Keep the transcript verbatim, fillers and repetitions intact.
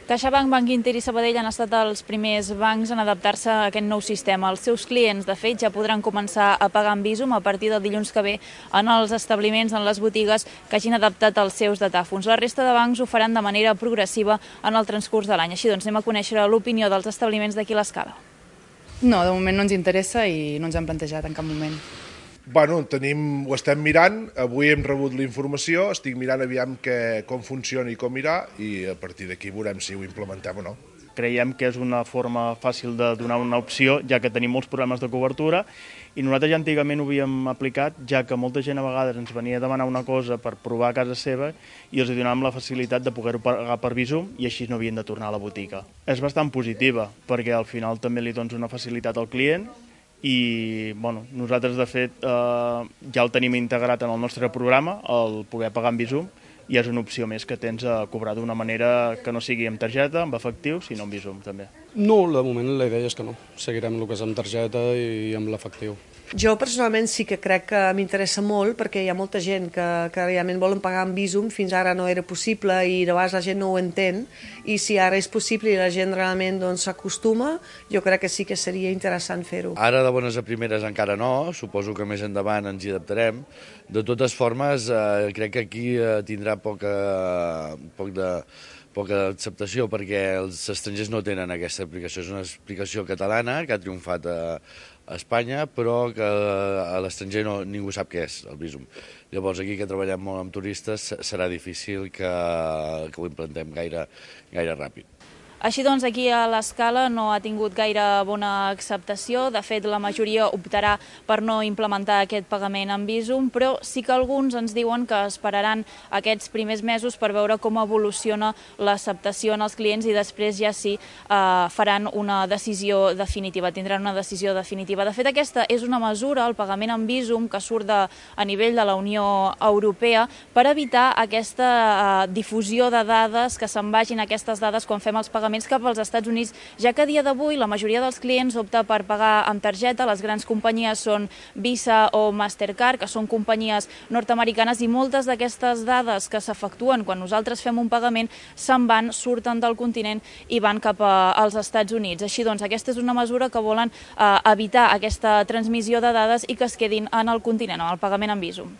CaixaBank, Banc Inter i Sabadell han estat els primers bancs en adaptar-se a aquest nou sistema. Els seus clients, de fet, ja podran començar a pagar amb Bizum a partir del dilluns que ve en els establiments, en les botigues que hagin adaptat els seus datàfons. La resta de bancs ho faran de manera progressiva en el transcurs de l'any. Així doncs, anem a conèixer l'opinió dels establiments d'aquí a l'Escala. No, de moment no ens interessa i no ens hem plantejat en cap moment. Bueno, tenim, ho estem mirant, avui hem rebut la informació, estic mirant aviam que, com funciona i com irà i a partir d'aquí veurem si ho implementem o no. Creiem que és una forma fàcil de donar una opció, ja que tenim molts problemes de cobertura i nosaltres ja antigament ho havíem aplicat, ja que molta gent a vegades ens venia a demanar una cosa per provar a casa seva i els donàvem la facilitat de poder-ho pagar per Bizum i així no havien de tornar a la botiga. És bastant positiva perquè al final també li dones una facilitat al client i bueno, nosaltres de fet eh, ja el tenim integrat en el nostre programa, el poder pagar amb Bizum, i és una opció més que tens a cobrar d'una manera que no sigui amb targeta, amb efectiu, sinó amb Bizum també. No, de moment la idea és que no. Seguirem el que és amb targeta i amb l'efectiu. Jo personalment sí que crec que m'interessa molt perquè hi ha molta gent que, que realment volen pagar amb Bizum, fins ara no era possible i de vegades la gent no ho entén i si ara és possible i la gent realment s'acostuma, doncs, jo crec que sí que seria interessant fer-ho. Ara de bones a primeres encara no, suposo que més endavant ens hi adaptarem. De totes formes, eh, crec que aquí eh, tindrà poca, poc de... poca acceptació perquè els estrangers no tenen aquesta aplicació. És una aplicació catalana que ha triomfat a, a Espanya, però que a l'estranger no, ningú sap què és el Bizum. Llavors aquí que treballem molt amb turistes serà difícil que, que ho implantem gaire, gaire ràpid. Així doncs, aquí a l'Escala no ha tingut gaire bona acceptació. De fet, la majoria optarà per no implementar aquest pagament amb Bizum, però sí que alguns ens diuen que esperaran aquests primers mesos per veure com evoluciona l'acceptació en els clients i després ja sí eh, faran una decisió definitiva, tindran una decisió definitiva. De fet, aquesta és una mesura, el pagament amb Bizum, que surt de, a nivell de la Unió Europea per evitar aquesta eh, difusió de dades, que se'n vagin aquestes dades quan fem els pagaments cap als Estats Units, ja que a dia d'avui la majoria dels clients opta per pagar amb targeta. Les grans companyies són Visa o Mastercard, que són companyies nord-americanes, i moltes d'aquestes dades que s'efectuen quan nosaltres fem un pagament se'n van, surten del continent i van cap als Estats Units. Així doncs, aquesta és una mesura que volen eh, evitar aquesta transmissió de dades i que es quedin en el continent, en el pagament amb Bizum.